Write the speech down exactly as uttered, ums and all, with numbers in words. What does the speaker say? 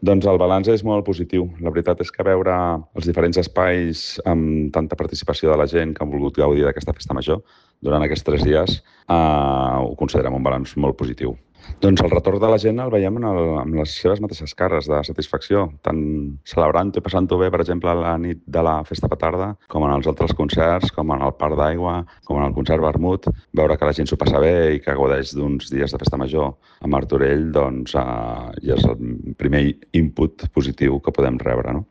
Doncs el balanç és molt positiu. La veritat és que veure els diferents espais amb tanta participació de la gent que han volgut gaudir d'aquesta festa major durant aquests tres dies eh, ho considerem un balanç molt positiu. Doncs el retorn de la gent el veiem en el, amb les seves mateixes cares de satisfacció, tant celebrant-ho i passant-ho bé, per exemple, a la nit de la festa petarda, com en els altres concerts, com en el Parc d'Aigua, com en el concert Vermut, veure que la gent s'ho passa bé i que gaudeix d'uns dies de festa major a Martorell, doncs eh, ja és el primer input positiu que podem rebre, no?